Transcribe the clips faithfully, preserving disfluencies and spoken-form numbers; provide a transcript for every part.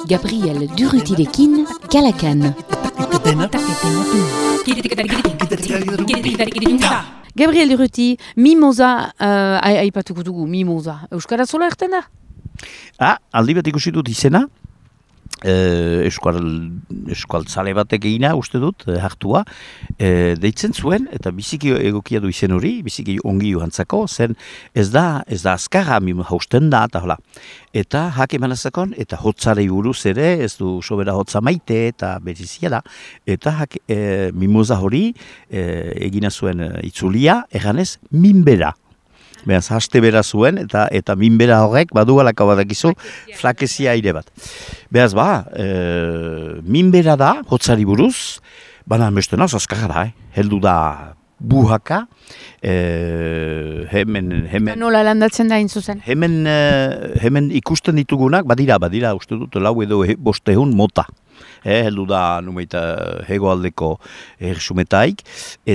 Gabriel Durrutirekin, Kalakan. Gabriel Durruti, mimosa, uh, aipatuko dugu, mimosa. Euskara zola erten da? Ah, aldi bat ikusi dut izena. Eh, eskual, eskualtzale batek egina, uste dut, eh, hartua, eh, deitzen zuen, eta biziki egokia du izen hori, biziki ongi joantzako, zen ez da, ez da azkarra, hausten da, eta hola. Eta hake manazakon, eta hotzarei buruz ere, ez du sobera hotza maite, eta berizia da, eta hake, eh, mimosa hori eh, egina zuen eh, itzulia, eganez, minbera. Beraz, haste bera zuen, eta eta minbera horrek, badugalako badakizu, flakezia aire bat. Beraz, ba, e, minbera da, hotzari buruz, baina beste naz, azkarra da, eh? Heldu da buhaka, e, hemen... hemen Nola landatzen da intzuzen? Hemen, e, hemen ikusten ditugunak, badira, badira, uste dut, lau edo he, bostehun mota. Eh, heldu da, numeita, hegoaldeko ersumetaik,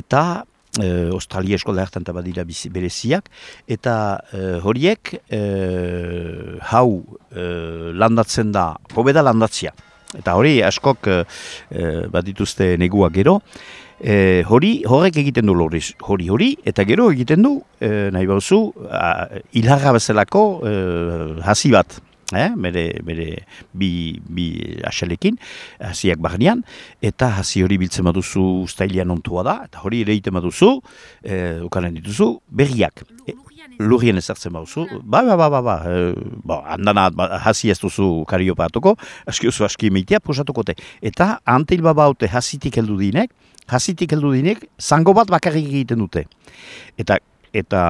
eta... E, Australia eskola hartan eta badira bereziak, eta e, horiek e, hau e, landatzen da, hobeda landatzia. Eta hori askok e, bat dituzte negua gero, e, hori horrek egiten du hori hori, hori eta gero egiten du, e, nahi bauzu, hilharra bezalako e, hasi bat. Eh, bere, bere bi, bi asalekin, hasiak barnean, eta hasi hori biltzen baduzu uztailean ontua da, eta hori ere egiten baduzu, eh, ukanen dituzu, berriak. E, lurrien ezartzen baduzu, ba, ba, ba, ba, ba, e, ba handana hasi ez duzu kariopa atuko, aski oso aski meitea posatuko te. Eta antil baba haute hasitik heldu dinek, hasitik heldu dinek, zango bat bakarrik egiten dute. Eta, eta,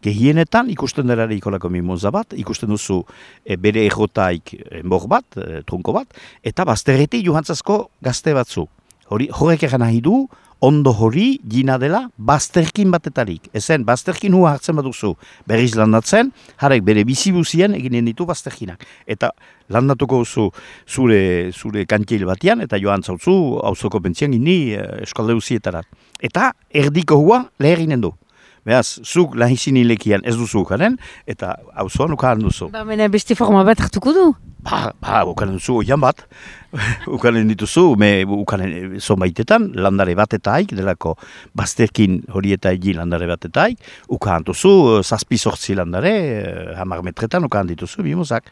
gehienetan ikusten derare ikolako mimosa bat, ikusten duzu e, bere egotaik enbor bat, e, trunko bat, eta bazterreti johantzazko gazte batzu. Hori, horrek egan nahi du, ondo hori gina dela bazterkin batetarik. Ezen, bazterkin hua hartzen baduzu berriz landatzen, harek bere bizibuzien eginen ditu bazterkinak. Eta landatuko zu zure, zure kantil batean, eta joan zautzu auzoko pentzian gini e, eskalde uzietarat. Eta erdiko hua leherinen du. Beaz, zuk lahizin hilekian ez duzu ukaren, eta auzoan ukaren duzu. Ba, mena beste forma bat hartuko du? Ba, ba ukaren duzu oian bat. Ukaren dituzu, me ukaren zonbaitetan, landare bat eta haik, delako bazterkin hori eta egin landare bat eta haik, ukaren duzu, zazpi sortzi landare, hamar metretan ukaren dituzu, bimozak.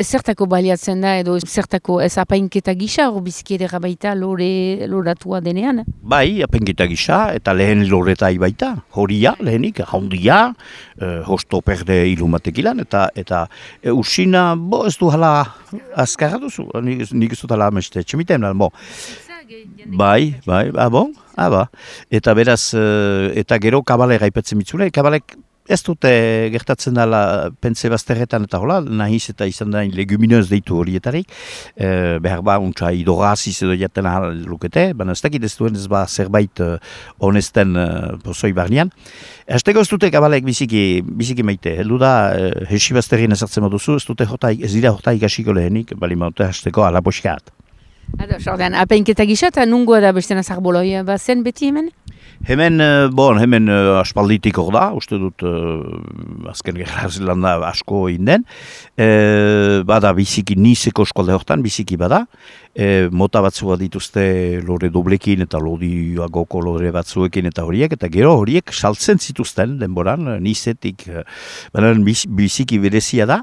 Zertako baliatzen da, edo zertako ez apainketa gisa, hor bizkiedera baita lore, loratua denean? Bai, apainketa gisa, eta lehen loretai baita, horia, lehenik, jaundia, eh, hosto perde ilumatekilan, eta eta e, usina, bo, ez du hala azkarra duzu, nik, nik ez dut hala ameste, txemiten, bo. Bai, bai, ah, bon, ah, ba. Eta beraz, eta gero kabale gaipetzen mitzule, kabalek ez dute gertatzen dela pentze bazterretan eta hola, nahiz eta izan da leguminez deitu horietarik, e, behar ba, untsa idoraziz edo jaten ahal lukete, baina ez dakit ez duen ez ba zerbait uh, honesten uh, pozoi barnean. Azteko ez dute kabalek biziki, biziki maite, heldu da, uh, hesi bazterrien ezartzen baduzu, ez dute jota, ez dira jota ikasiko lehenik, bali maute azteko alaposkat. Ado, sordean, apainketa gisa eta nungoa da beste nazarboloi bazen beti hemen? Hemen, bon, hemen uh, aspalditik hor da, uste dut uh, azken gerra zelanda asko inden. E, bada biziki nizeko eskolde hortan, biziki bada. E, mota batzua dituzte lore doblekin eta lodiagoko lore batzuekin eta horiek, eta gero horiek saltzen zituzten denboran, nizetik, baina biziki berezia da,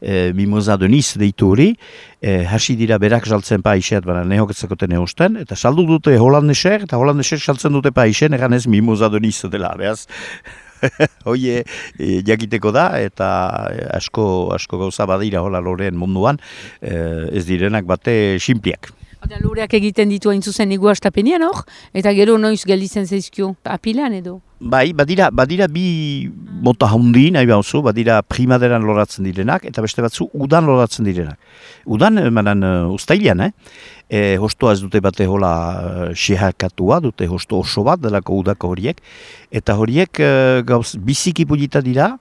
e, mimosa de niz deitu hori, e, hasi dira berak saltzen paixet, baina nehoketzakoten eusten, eta saldu dute holandeser, eta holandeser saltzen dute paixen, egan ez mimosa de niz dela, behaz. Hoie e, jakiteko da, eta asko, asko gauza badira hola loreen munduan, e, ez direnak bate sinpliak. Eta loreak egiten ditu hain zuzen egu astapenean hor, eta gero noiz gelditzen zaizkio apilan edo? Bai, badira, badira bi mota handi nahi bauzu, badira primaderan loratzen direnak, eta beste batzu udan loratzen direnak. Udan, emanan, uh, ustailean, eh? e, hostoa ez dute bate hola xehakatua, dute hosto oso bat delako udako horiek, eta horiek e, gauz biziki pulita dira,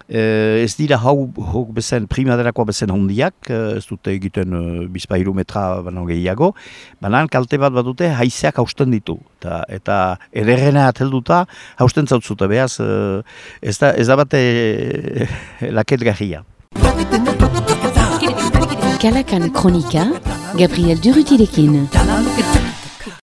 e, ez dira hau, hau bezen, primaderakoa bezen hondiak, ez dute egiten e, bizpairu metra baino gehiago, banan kalte bat bat dute haizeak hausten ditu, eta, eta ederrena atelduta hausten zautzute, behaz, e, ez da, ez da bate e, laketgarria. Kalakan Kronika, Gabriel Durutilekin.